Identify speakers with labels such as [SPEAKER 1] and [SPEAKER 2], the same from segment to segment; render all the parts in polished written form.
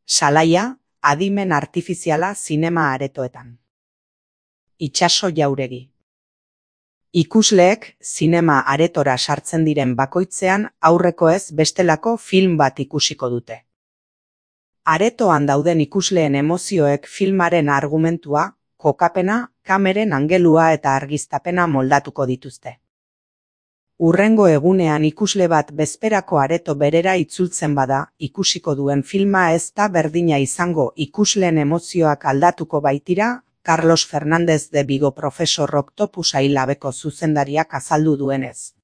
[SPEAKER 1] Salaia, adimen artifiziala zinema aretoetan. Itxaso Jauregi. Ikusleek zinema aretora sartzen diren bakoitzean aurreko ez bestelako film bat ikusiko dute. Aretoan dauden ikusleen emozioek filmaren argumentua, kokapena, kameren angelua eta argiztapena moldatuko dituzte. Hurrengo egunean ikusle bat bezperako areto berera itzultzen bada, ikusiko duen filma ez da berdina izango ikusleen emozioak aldatuko baitira, Carlos Fernández de Vigo Profesor Octopus Ailabeko zuzendariak azaldu duenez.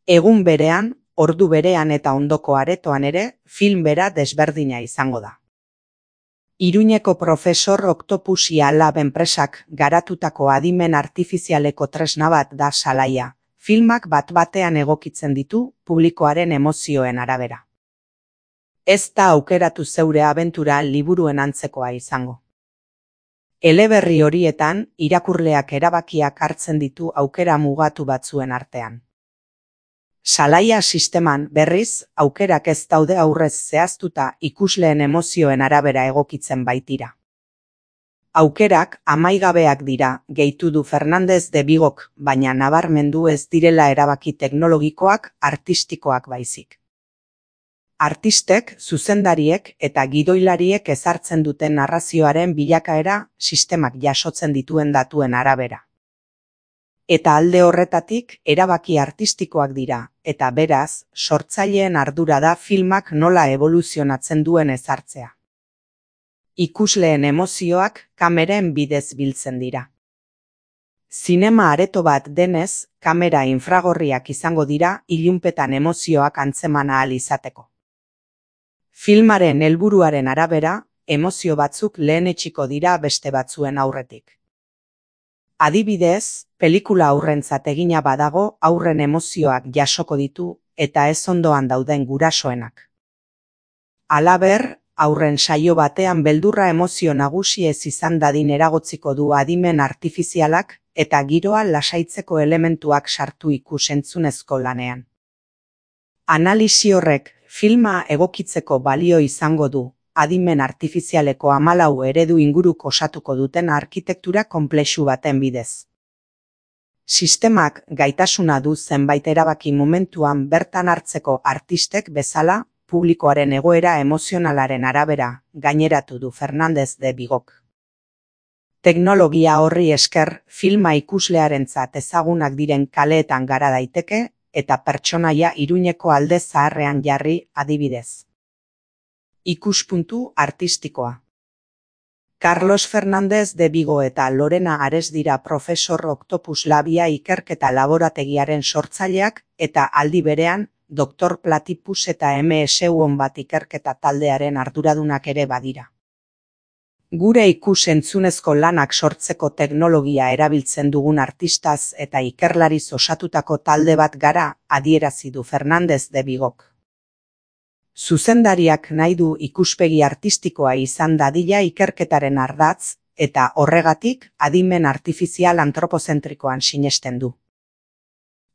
[SPEAKER 1] Egun berean, ordu berean eta ondoko aretoan ere, film bera desberdina izango da. Iruñeko Profesor Octopus Lab enpresak garatutako adimen artifizialeko tresna bat da Salaia. Filmak bat-batean egokitzen ditu publikoaren emozioen arabera. Ez da aukeratu zeure abentura liburuen antzekoa izango. Eleberri horietan, irakurleak erabakiak hartzen ditu aukera mugatu batzuen artean. Salaia sisteman, berriz, aukerak ez daude aurrez zehaztuta ikusleen emozioen arabera egokitzen baitira. Aukerak amaigabeak dira, gehitu du Fernández de Vigok, baina nabarmendu ez direla erabaki teknologikoak, artistikoak baizik. Artistek, zuzendariek eta gidoilariek ezartzen duten narrazioaren bilakaera sistemak jasotzen dituen datuen arabera. Eta alde horretatik, erabaki artistikoak dira, eta beraz, sortzaileen ardura da filmak nola evoluzionatzen duen ezartzea. Ikusleen emozioak kameren bidez biltzen dira. Zinema areto bat denez, kamera infragorriak izango dira ilunpetan emozioak antzeman ahal izateko. Filmaren helburuaren arabera, emozio batzuk lehenetsiko dira beste batzuen aurretik. Adibidez, pelikula aurrentzat egina badago aurren emozioak jasoko ditu eta ez ondoan dauden gurasoenak. Halaber, aurren saio batean beldurra emozio nagusi ez izan dadin eragotziko du adimen artifizialak eta giroa lasaitzeko elementuak sartu ikus-entzunezko lanean. Analisi horrek filma egokitzeko balio izango du, adimen artifizialeko 14 eredu inguruk osatuko duten arkitektura konplexu baten bidez. Sistemak gaitasuna du zenbait erabaki momentuan bertan hartzeko artistek bezala, publikoaren egoera emozionalaren arabera, gaineratu du Fernández de Vigok. Teknologia horri esker, filma ikuslearentzat ezagunak diren kaleetan gara daiteke, eta pertsonaia Iruñeko alde zaharrean jarri adibidez. Ikuspuntu artistikoa. Carlos Fernández de Vigo eta Lorena Ares dira Profesor Octopus Labia ikerketa laborategiaren sortzaileak eta aldi berean, Dr. Platypus eta MSU bat ikerketa taldearen arduradunak ere badira. Gure ikus-entzunezko lanak sortzeko teknologia erabiltzen dugun artistaz eta ikerlariz osatutako talde bat gara, adierazi du Fernández de Vigok. Zuzendariak nahi du ikuspegi artistikoa izan dadila ikerketaren ardatz, eta horregatik adimen artifizial antropozentrikoan sinesten du.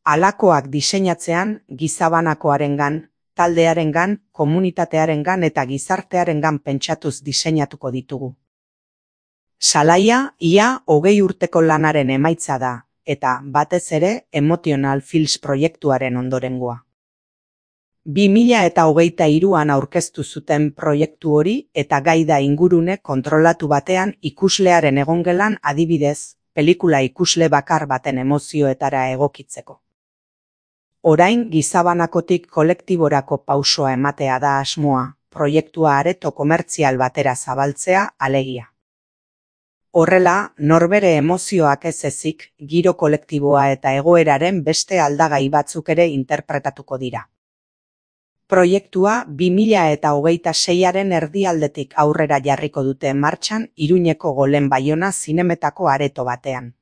[SPEAKER 1] Halakoak diseinatzean, gizabanakoarengan, taldearengan, komunitatearengan eta gizartearengan pentsatuz diseinatuko ditugu. Salaia, ia 20 urteko lanaren emaitza da, eta batez ere Emotional Fields proiektuaren ondorengoa. 2023an aurkeztu zuten proiektu hori eta gai da ingurune kontrolatu batean ikuslearen egongelan adibidez, pelikula ikusle bakar baten emozioetara egokitzeko. Orain gizabanakotik kolektiborako pausoa ematea da asmoa, proiektua areto komertzial batera zabaltzea alegia. Horrela, norbere emozioak ez ezik, giro kolektiboa eta egoeraren beste aldagai batzuk ere interpretatuko dira. Proiektua 2026aren erdialdetik aurrera jarriko dute martxan Iruñeko Golen Baiona zinemetako areto batean.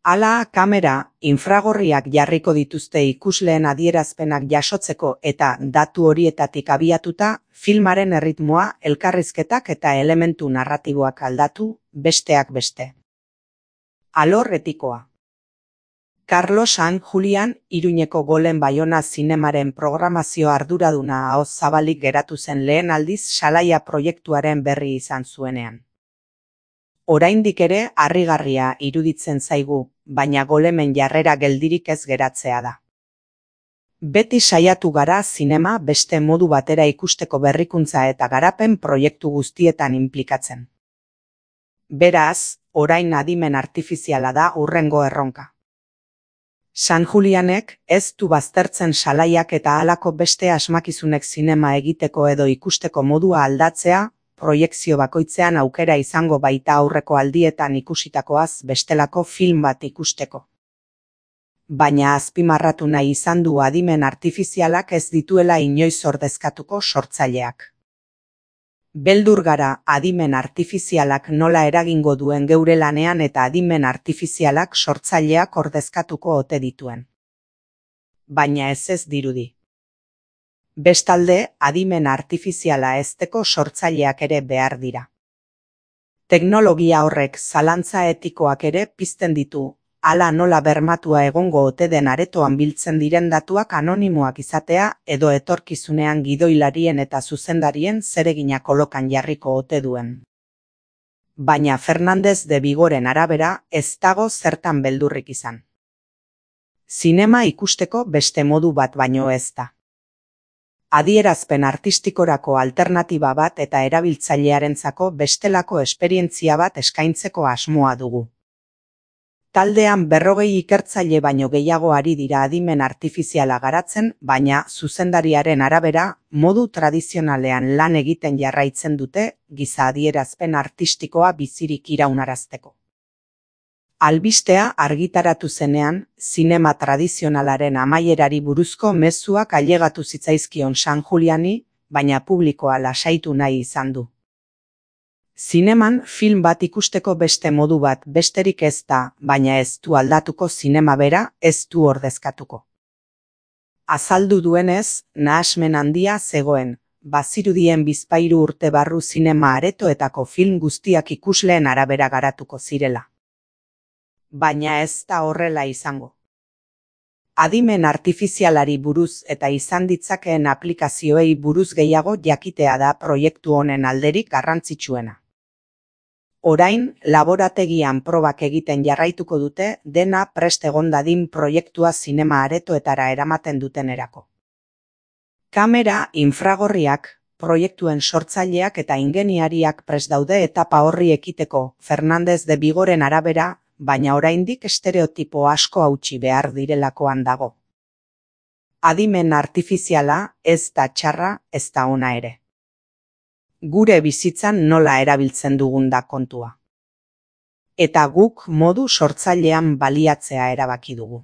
[SPEAKER 1] Hala, kamera, infragorriak jarriko dituzte ikusleen adierazpenak jasotzeko eta datu horietatik abiatuta, filmaren erritmoa, elkarrizketak eta elementu narratiboak aldatu, besteak beste. Alor etikoa. Carlos San Julián, Iruñeko Golen Baiona zinemaren programazio arduraduna ahoz zabalik geratu zen lehen aldiz Salaia proiektuaren berri izan zuenean. Oraindik ere harrigarria iruditzen zaigu, baina Golemen jarrera geldirik ez geratzea da. Beti saiatu gara zinema beste modu batera ikusteko berrikuntza eta garapen proiektu guztietan inplikatzen. Beraz, orain adimen artifiziala da hurrengo erronka. San Julianek ez du baztertzen Salaiak eta halako beste asmakizunek zinema egiteko edo ikusteko modua aldatzea, proiekzio bakoitzean aukera izango baita aurreko aldietan ikusitakoaz bestelako film bat ikusteko. Baina azpimarratu nahi izan du adimen artifizialak ez dituela inoiz ordezkatuko sortzaileak. Beldur gara adimen artifizialak nola eragingo duen geure lanean eta adimen artifizialak sortzaileak ordezkatuko ote dituen. Baina ez dirudi. Bestalde, adimen artifiziala hezteko sortzaileak ere behar dira. Teknologia horrek zalantza etikoak ere pizten ditu, hala nola bermatua egongo ote den aretoan biltzen diren datuak anonimoak izatea edo etorkizunean gidoilarien eta zuzendarien zeregina kolokan jarriko ote duen. Baina Fernández de Vigoren arabera ez dago zertan beldurrik izan. Zinema ikusteko beste modu bat baino ez da. Adierazpen artistikorako alternatiba bat eta erabiltzailearentzako bestelako esperientzia bat eskaintzeko asmoa dugu. Taldean 40 ikertzaile baino gehiago ari dira adimen artifiziala garatzen, baina zuzendariaren arabera, modu tradizionalean lan egiten jarraitzen dute, giza adierazpen artistikoa bizirik iraunarazteko. Albistea argitaratu zenean, zinema tradizionalaren amaierari buruzko mezuak ailegatu zitzaizkion San Juliani, baina publikoa lasaitu nahi izan du. Zineman film bat ikusteko beste modu bat besterik ez da, baina ez du aldatuko zinema bera, ez du ordezkatuko. Azaldu duenez, nahasmen handia zegoen, bazirudien bizpahiru urte barru zinema aretoetako film guztiak ikusleen arabera garatuko zirela. Baina ez da horrela izango. Adimen artifizialari buruz eta izan ditzakeen aplikazioei buruz gehiago jakitea da proiektu honen alderik garrantzitsuena. Orain, laborategian probak egiten jarraituko dute dena prest egon dadin proiektua zinema aretoetara eramaten dutenerako. Kamera, infragorriak, proiektuen sortzaileak eta ingeniariak prest daude etapa horri ekiteko Fernández de Vigoren arabera, baina oraindik estereotipo asko hautsi behar direlakoan dago. Adimen artifiziala ez da txarra, ez da ona ere. Gure bizitzan nola erabiltzen dugun da kontua. Eta guk modu sortzailean baliatzea erabaki dugu.